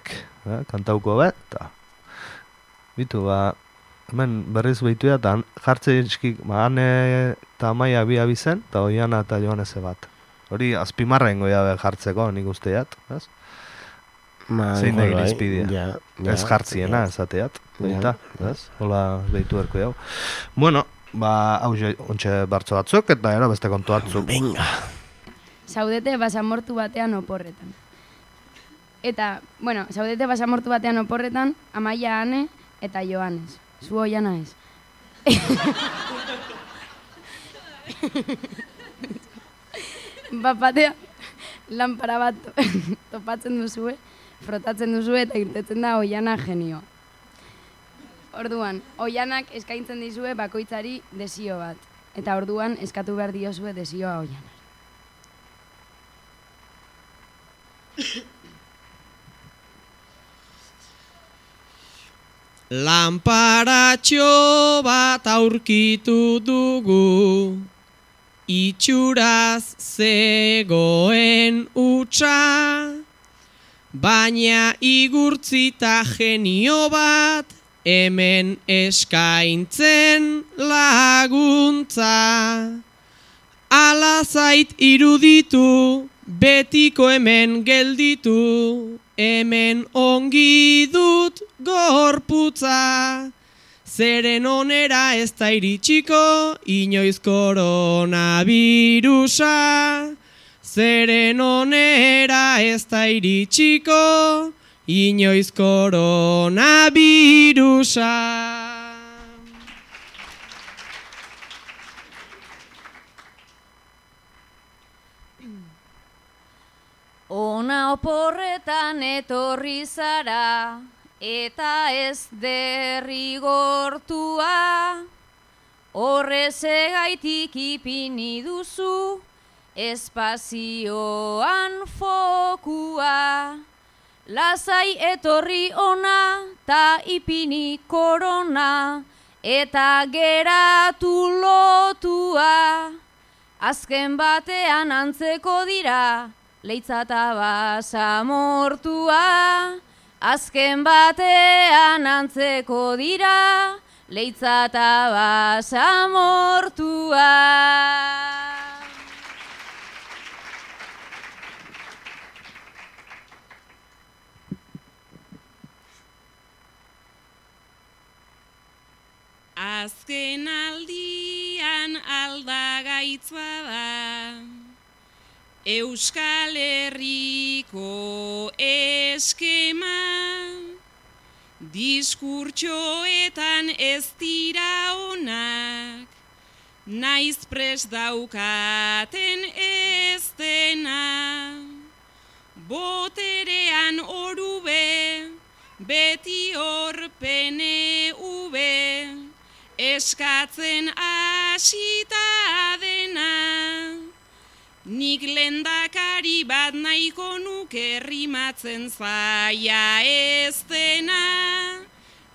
kantauko bet, eta bitu, hemen berriz behitu eta jartze eskik, Ane eta Amaia bi abizen, eta Oiana eta Joanese bat. Hori azpimarren goia jartzeko, nik usteat, ez? Zein da irizpidea. Ez jartziena, esateat, baita, ez? Hola behitu erko jau. Bueno, hau ontxe bertso batzuk, eta gero beste kontu hartzuk. Venga. Zaudete basamortu batean oporretan. Eta, bueno, zaudete basamortu batean oporretan, Amaia, Ane eta Joanes. Zu Oiana ez. Bapatea, lanpara bat topatzen duzue, frotatzen duzue eta irtetzen da Oiana genioa. Orduan, Oianak eskaintzen dizue bakoitzari desio bat. Eta orduan eskatu behar diozue desioa Oiana. Lanparatxo bat aurkitu dugu, itxuraz zegoen utxa, baina igurtzita genio bat hemen eskaintzen laguntza. Ala zait iruditu, betiko hemen gelditu, hemen ongi dut gorputza. Zeren onera ez da iritsiko, inoiz koronavirusa. Zeren onera ez da iritsiko, inoiz koronavirusa. Ona oporretan etorri zara, eta ez derrigortua, horrezegaitik ipini duzu, espazioan fokua. Lasai etorri ona, ta ipini korona, eta geratu lotua. Azken batean antzeko dira, leitza eta basamortua. Azken batean antzeko dira, leitza eta basamortua. Azken aldian aldagaitz bada, Euskal Herriko eskema, diskurtsoetan ez dira onak, naiz prest daukaten ez dena. Boterean orube, beti hor PNV, eskatzen hasita dena. Nik lehendakari bat nahiko nuke rimatzen zaia ez dena.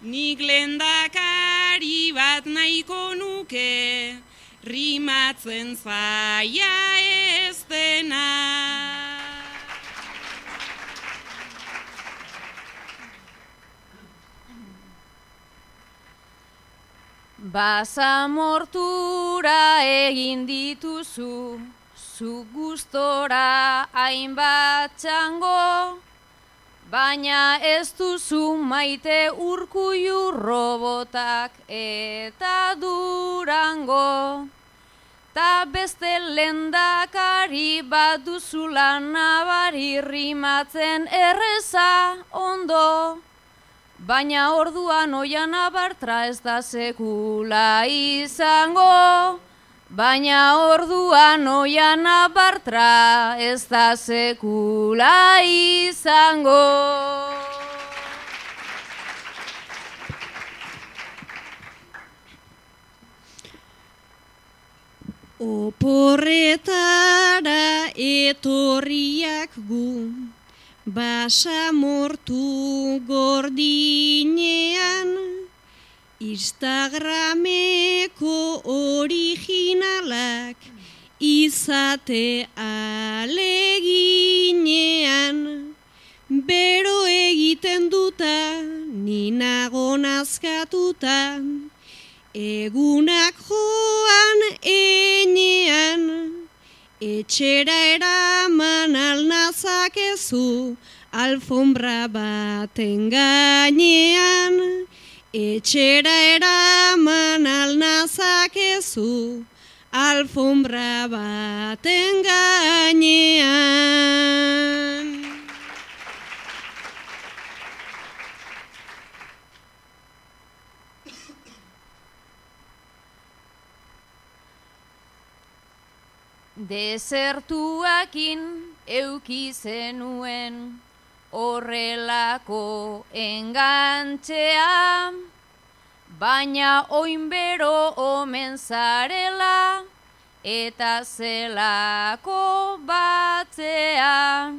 Nik lehendakari bat nahiko nuke rimatzen zaia ez dena. Basamortura egin dituzu, zu gustora hainbat txango, baina ez duzu maite Urkullu robotak eta Durango. Ta beste lehendakari bat duzula nabari rimatzen erreza ondo, baina orduan Oiana Bartra ez da sekula izango. Baina orduan Oiana Bartra ez da sekula izango. Oporretara etorriak gu, basamortu gordinean, Instagrameko originalak izate aleginean, bero eskatutan, egunak joan enean, etxera eraman alnazakezu, alfombra baten gainean, etxera eraman alnazakezu, alfombra baten gainean. Desertuakin euki zenuen horrelako engantxea, baina oinbero omen zarela eta zelako batzea.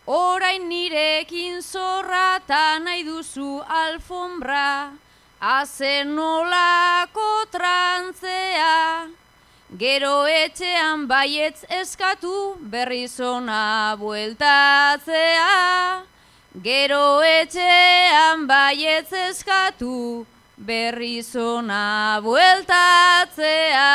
Orain nirekin zorrata nahi duzu alfombra, azen nolako trantzea. Gero etxean baietz eskatu berriz ona bueltatzea. Gero etxean baietz eskatu berriz ona bueltatzea.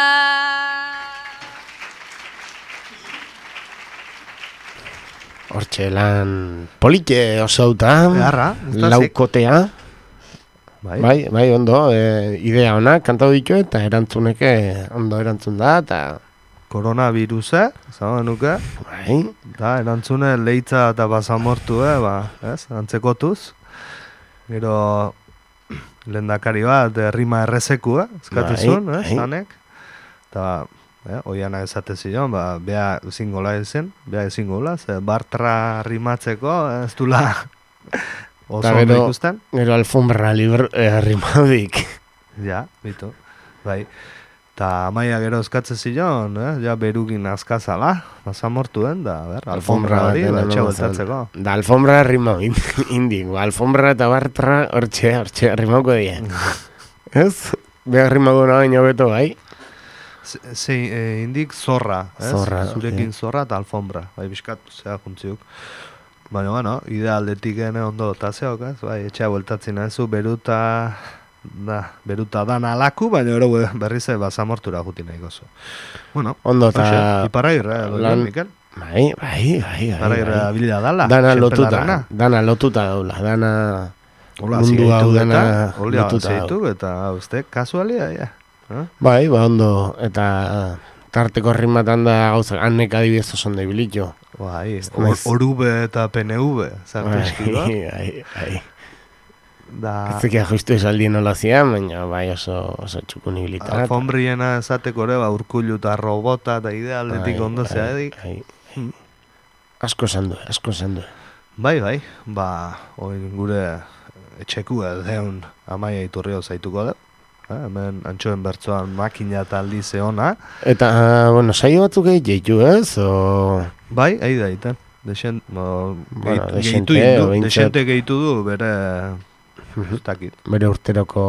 Hortxe lan polite osauta, laukotea. Bai, ondo, idea ona, kantau ditu eta erantzuneke ondo erantzun da, eta... Koronavirusa, zagoen nuke. Bai. Da, erantzune leitza eta basamortu, antzekotuz. Gero, lehendakari bat, rima errezeku, eskatezun, zanek. Eta, oiana esate zion, bea ezingola ezen, ze Bartra rimatzeko, ez dula... Oso ondo ikusten. Gero alfombra rimaudik. Ja, bitu. Bai. Ta Amaia gero eskatze zion, ja berukin azkazala, basamortuen, da, alfombra hori, etxe bueltatzeko. Da, alfombra rimau indik, alfombra eta Bartra hortxe rimauko die. Ez? Behar rimauko nabaino beto, bai? Indik zorra, ez? Zorra. Zurekin zorra eta alfombra, bai, biskatu, zea juntziuk. Baina, bueno, idealdetik ondo tazeok, ez? Bai, etxea bueltatzen nahizu, beruta dana alaku, baina ero berriz basamortura juti nahi gozu. Bueno, ondo eta... Iparrairra, Mikel? Bai. Iparrairra bila dala. Dana lotuta daula, dana mundu hau dana lotuta daula. Eta, uste, kasualia, ja. Bai, ondo, eta... Tarteko rimatan da gauza, hanek adibidez oso ondo ibilitxo. Bai, orube eta PNV, zartu eskidua. Bai. Ez zekia justu esaldien nola zian, baina bai oso txukun ibilitan. Alfombriena esateko ere, Urkullu eta robota eta idealdetik ondo zeadik. Asko esan du. Bai, gure etxekua deun Amaia Iturrio zaituko da. Hemen antxoen bertzoan makina eta aldi zeona. Eta, saio batzuk egiteitu, ez? Bai, ahi da egiten. Desente gehitu du, bere... Bere urteroko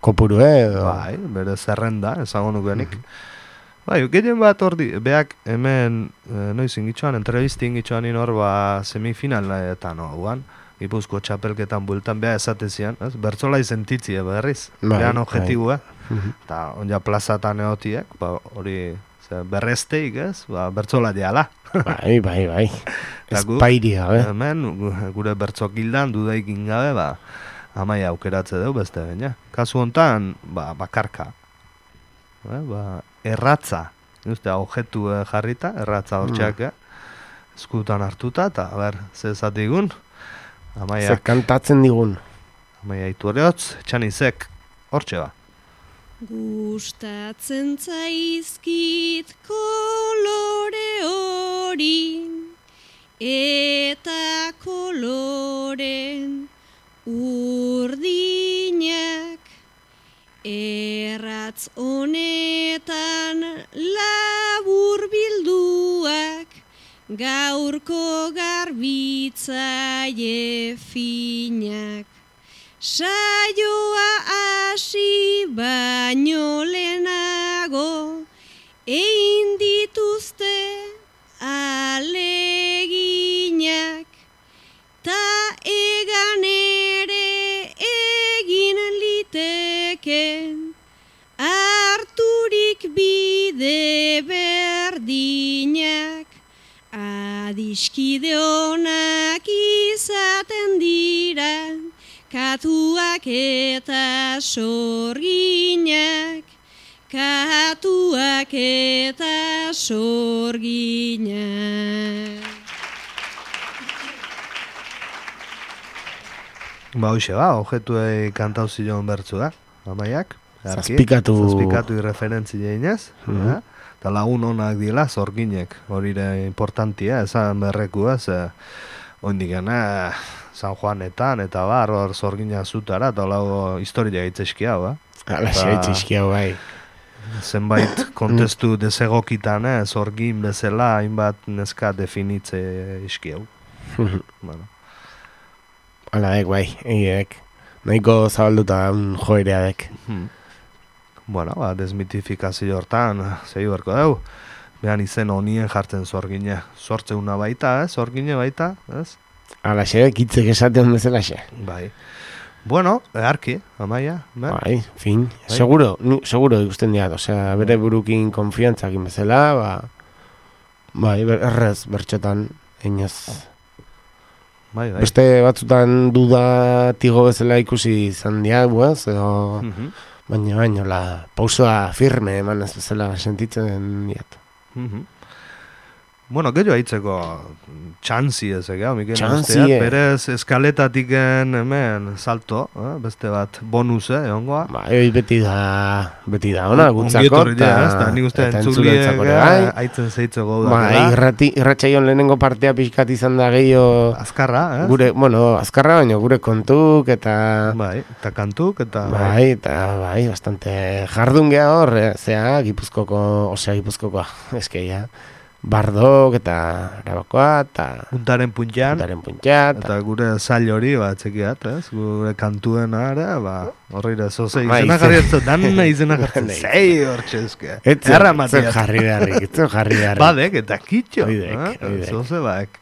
kopuru, Bai, bere zerrenda, esango nukenik. Bai, gehien bat ordi, beak hemen, noiz ingitxoan, entrevisti ingitxoan inor, semifinaletan oguan. Gipuzko txapelketan bueltan beha esatezian, bertzola izentitzi berriz, behan objetibua, eta onja plazatan egotiek, hori berresteik, bertzola diala. Bai, espairia, Hemen, gure bertzok gildan, dudaik ingabe, Amaia aukeratze deu beste baina. Kasu hontan, bakarka, erratza, objetu jarrita, erratza hortxeak, eskutan hartuta, eta zezatigun, Zer kantatzen digun. Amaia Iturriotz, txanizek, hortxe ba. Gustatzen zaizkit kolore hori eta koloren urdinak erratz honetan labur bilduak gaurko garbitzaile finak. Saioa hasi baino lehenago egin dituzte aleginak ta egan ere Katuak eta sorginak, katuak eta sorginak. Ba, hoxe objetuei kantau zion bertzua, Amaiak. Zazpikatu irreferentzi jeinez, eta lagun honak dila zorginek, horire importantia, esan berreku ez, oindigena San Juanetan, eta hor zorgina zutara, eta lago historia itzeski hau, Alaxe itzeski hau, bai. Zenbait kontestu desegokitan, zorgin bezala, hainbat neska definitze iski hau. Bueno. Alaek, bai, egiek. Nahiko zabalduta joereadek. Bueno, desmitifikazio hortan, zei berko deu. Behan izen honien jartzen zorgine. Sortzeuna baita, zorgine baita, ez? Alaxe, kitzek esaten bezalaxe. Bai. Bueno, eharki, Amaia. Bai, fin. Bai. Seguro ikusten diat. Osea, bere burukin konfiantzakin bezala, bai, errez, bertxotan, einaz. Bai. Beste batzutan dudatigo bezala ikusi izan diaguaz, edo... Baina, la pausoa firme eman ez bezala sentitzen diat. Bueno, gehiago haitzeko txantzi ez, Mikel Txantzi, berez eskaletatik hemen salto, beste bat bonuse, egongoa. Ba, beti da, ona, gutzako, eta nik uste entzuliek haitzen zeitzeko da. Ba, irratxaion lehenengo partea pixkat izan da gehiago... Azkarra, ez? Azkarra, baina gure kontuk, eta... Bai, eta kantuk, eta... Bai, bastante jardun geha hor, Gipuzkokoa, eskeia. Bardok eta Arabakoa eta... Puntaren puntxan. Eta gure zail hori, txekiat, ez? Gure kantuen ara, horreira, zoze izena jarrietzen, danna izena jartzen, zei hor txezke. Etzen jarri beharrik. Badek, eta kitxo. Oidek. Zoze baek.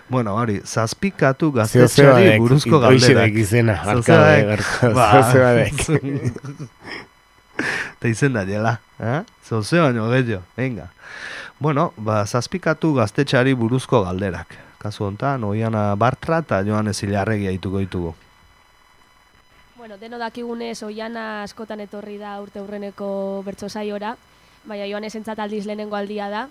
Bueno, hori, zazpikatu gaztetxeari buruzko galderak. Zoze badek. Eta izen da jela, zoze baino gehiago, venga. Bueno, zazpikatu gaztetxeari buruzko galderak. Kasu honetan, Oiana Bartra eta Joanes Ilarregi aituko ditugu. Bueno, deno dakigunez Oiana askotan etorri da urte hurreneko bertso saiora, baina Joanes entzat aldiz lehenengo aldia da,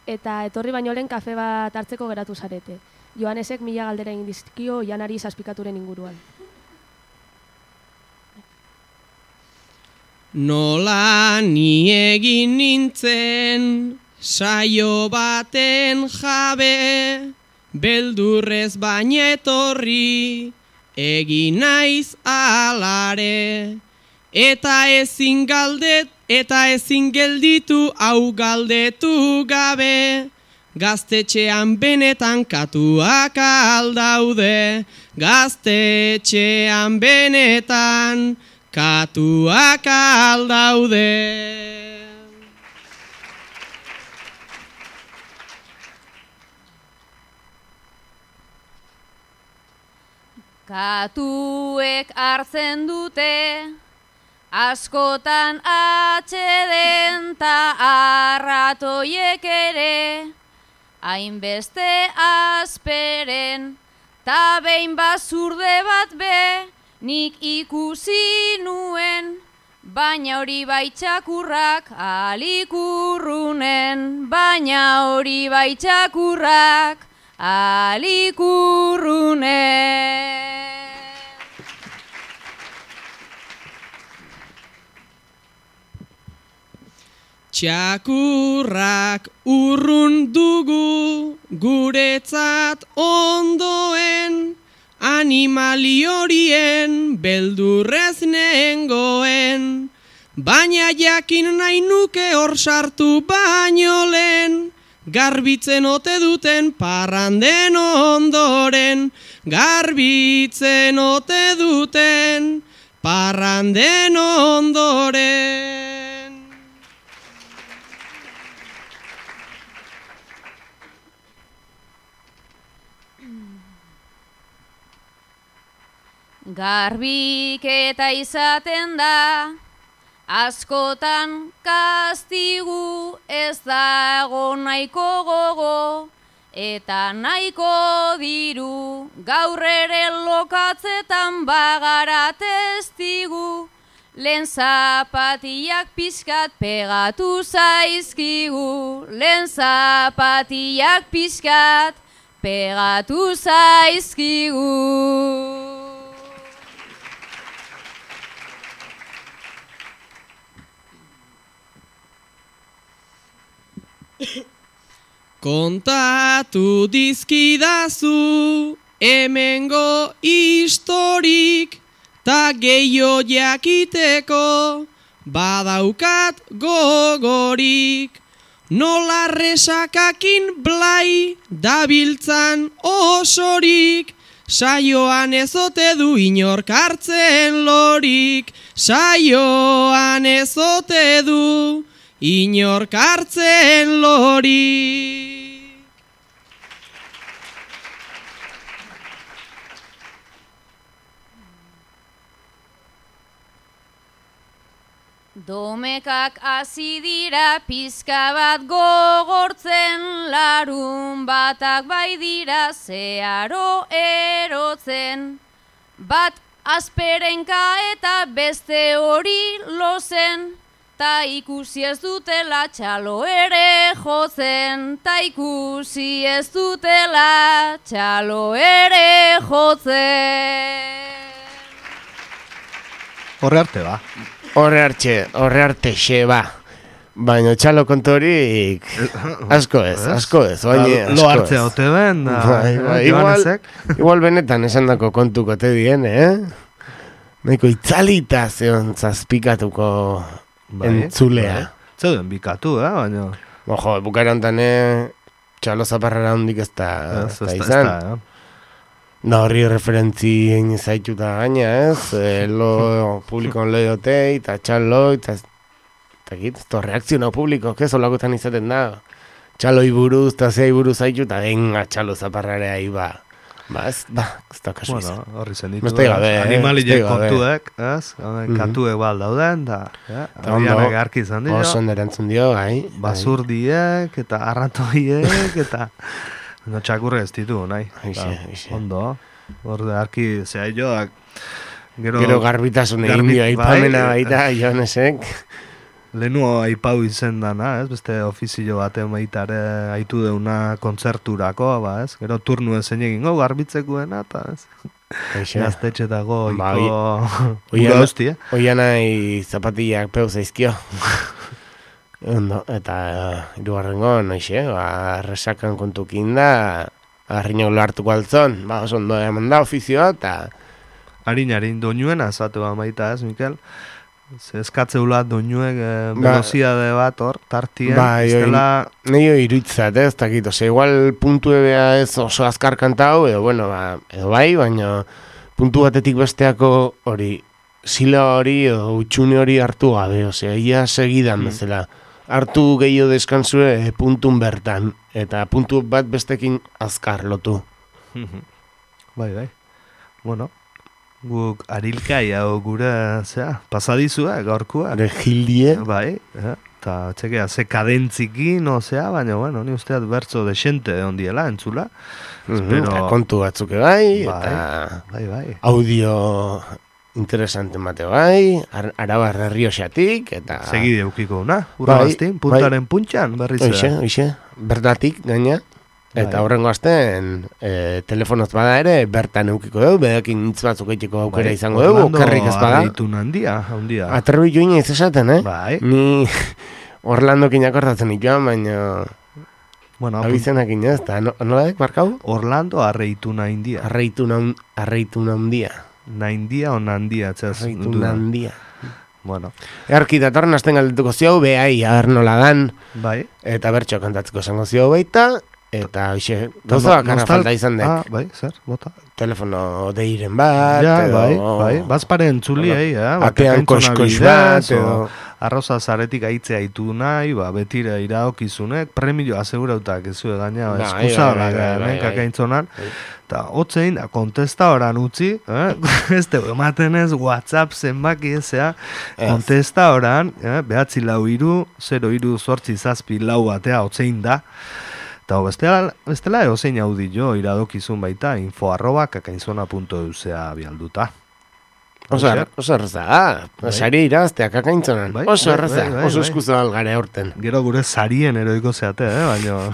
eta etorri baino lehen kafe bat hartzeko geratu zarete. Joanesek 1000 galdera egin dizkio Oianari zazpikaturen inguruan. Nola ni egin nintzen saio baten jabe, beldurrez baina etorri, egin naiz alare. Eta ezin gelditu hau galdetu gabe, gaztetxean benetan katuak aldaude, gaztetxean benetan katuak aldaude. Katuek hartzen dute, askotan atxeden ta arratoiek ere, hainbeste azperen, ta behin bazurde bat be, nik ikusi nuen, baina hori baitxakurrak alikurrunen, baina hori baitxakurrak alikurrunen. Txakurrak urrun dugu guretzat ondoen, animali horien beldurrez nengoen, baina jakin nahi nuke hor sartu baino lehen, garbitzen ote duten parranden ondoren, garbitzen ote duten parranden ondoren. Garbiketa izaten da, askotan kastigu ez dago nahiko gogo, eta nahiko diru gaur ere lokatzetan bagara testigu, lehen zapatiak pixkat pegatu zaizkigu, lehen zapatiak pixkat pegatu zaizkigu. Kontatu dizkidazu hemengo historik, ta gehiago jakiteko badaukat gogorik. Nola resakakin blai dabiltzan osorik, saioan ezote du inork hartzen lorik, saioan ezote du inork hartzen lorik. Domekak hasi dira pizka bat gogortzen, larun batak bai dira zeharo erotzen. Bat azperenka eta beste hori lozen, ta ikusi ez dutela txalo ere jotzen, ta ikusi ez dutela txalo ere jotzen. Horre arte ba. Horre arte xe, ba. Baina txalo kontorik asko ez. Lo hartzea ote ben, igual benetan esan dako kontuko te dien, Nahiko itzalita zeon zazpikatuko entzulea. Zeuden bikatu, baina... Ojo, bukaerantan txalo zaparrara hondik ez da izan. Da horri referentzi egin zaituta gaina, lo publikoan lehiotei, eta txalo, eta reakzionau publiko, ez olakotan izaten da. Txaloi buruz, eta zei buruz zaitu, eta venga txalo zaparrarea iba. Ez da kasu izan. Bueno, horri zen ditu, animalile kontuek, katuek bal dauden, eta horianak arki izan dira. Oso nerantzun dio, basurdiek, eta arratoiek, eta... No txakurre ez ditu, nahi. Ondo. Horde, arki, zea joak... Gero garbitasun egin dio, aipamena baita, Jonesek. Lehenu aipau izen dana, beste ofizio batean baitare aitu deuna kontzerturako, Gero turnu ezen egingo garbitzekoena, eta gaztetxetako iko hostia. Oian nahi zapatillak peu zaizkio. Ondo, eta irugarrengo, noixe, resakan kontukin da, harriñok lo hartuko altzon, oso ondo eman da ofizioa, eta... Harin, doinuen azatu baita ez, Mikel? Eskatzeula doinuek veloziade bat hor, tartien, iztela... Nio iruitzat, ez dakit, igual puntu ebea ez oso azkar kantau, edo bai, baina puntu batetik besteako hori, zila hori, edo utxune hori hartu gabe, ia segidan bezala. Hartu gehiago deskantzue puntun bertan, eta puntu bat bestekin azkar lotu. Bai. Bueno, guk arilkai hau gure, pasadizua, gaurkua. Regildie. Bai, eta txekea, ze kadentzikin, baina, bueno, ni usteat bertzo desente ondiela, entzula. Kontu batzuke bai, eta audio... interesante mate bai, Arabar Herrioxatik, eta... Segide eukiko una, urrabaztin, puntaren puntxan, berriz da. Oixe, bertatik gaina, eta horrengo azten, telefonoz bada ere, bertan eukiko dugu, bedakin nintz batzuk eitiko aukera izango dugu, okerrik ez bada. Handia. Aterbi joina ez esaten, Bai. Ni Orlandokin akordatzen ikuan, baina... Bueno, abizenak inez, eta nola dek, barkau? Orlando arreituna india. Arreituna undia. Naindia o nandia, txaz? Nandia. Bueno. Earki datorren azten galdetuko ziau, behai, adar nola dan. Bai. Eta bertxo kantatzeko zango ziau baita. Eta, hoxe, gauza bakarra falta izan dek. Bai, zer, bota. Telefono deiren bat. Ja, bai. Bazpare entzuli, atean koskois bat, edo... Arroza zaretik aitze aitu nahi, betire iraokizunek, premio asegurautak ez zuen gaina, eskusa horak kakaintzonan, eta hotzein, kontesta horan utzi, ez tegu ematen ez, WhatsApp zenbaki ezea, kontesta horan, behatzi lau iru, 0 iru sortzi zazpi lau batea hotzein da, Eta bestela eozein audio iradokizun baita info@kakainzona.eusea bialduta. Oso erraza, sari iraztea kakaintzonan. Oso erraza, oso eskuzo algare aurten. Gero gure sarien eroiko zeate, baina...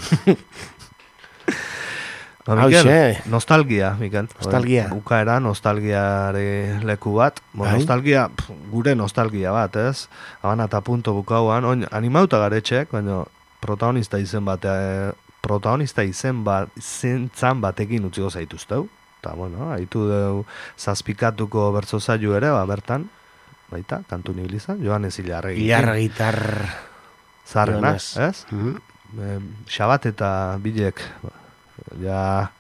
Mikel, nostalgia, Mikel. Nostalgia. Bukaera nostalgiare leku bat. Nostalgia, gure nostalgia bat, ez? Habana eta punto bukauan. Animauta garetxek, baina protagonista izen zentzan batekin utziko zaituzteu. Eta, bueno, haitu deu zazpikatuko bertso zailu ere, bertan, baita, kantu nibilizan, Joanes Ilarregi. Ilarregitar Zarrena, ez? Xabat eta bilek, ja,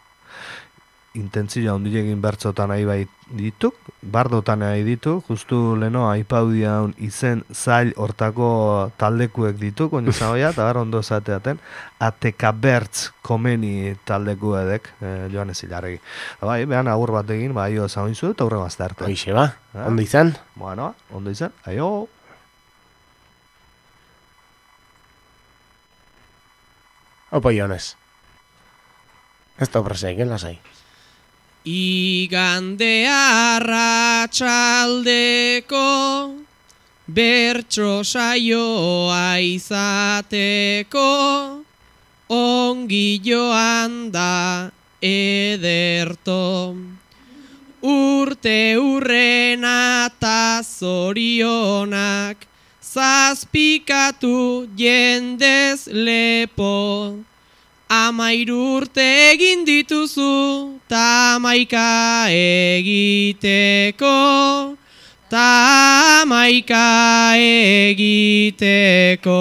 intentzia ondilegin bertzotan nahi bai dituk, bardotan nahi ditu, justu leno aipaudian izen zail hortako taldekuek ditu, koin zagoia, eta gara ondo esateaten, ateka bertz komeni taldeku edek, Joanes Ilarregi. Bai, behan agur batekin, bai, zagoinzu, eta hurre mazte arte. Hoixe ba, ondo izan? Bueno, ondo izan, aio! Opo, Joanes. Ez da obraseik, lasai. Igande arratsaldeko bertso saioa izateko ongi joan da ederto. Urte hurrena ta zorionak zazpikatu jendez lepo. 13 urte egin dituzu, ta 11 egiteko, ta 11 egiteko.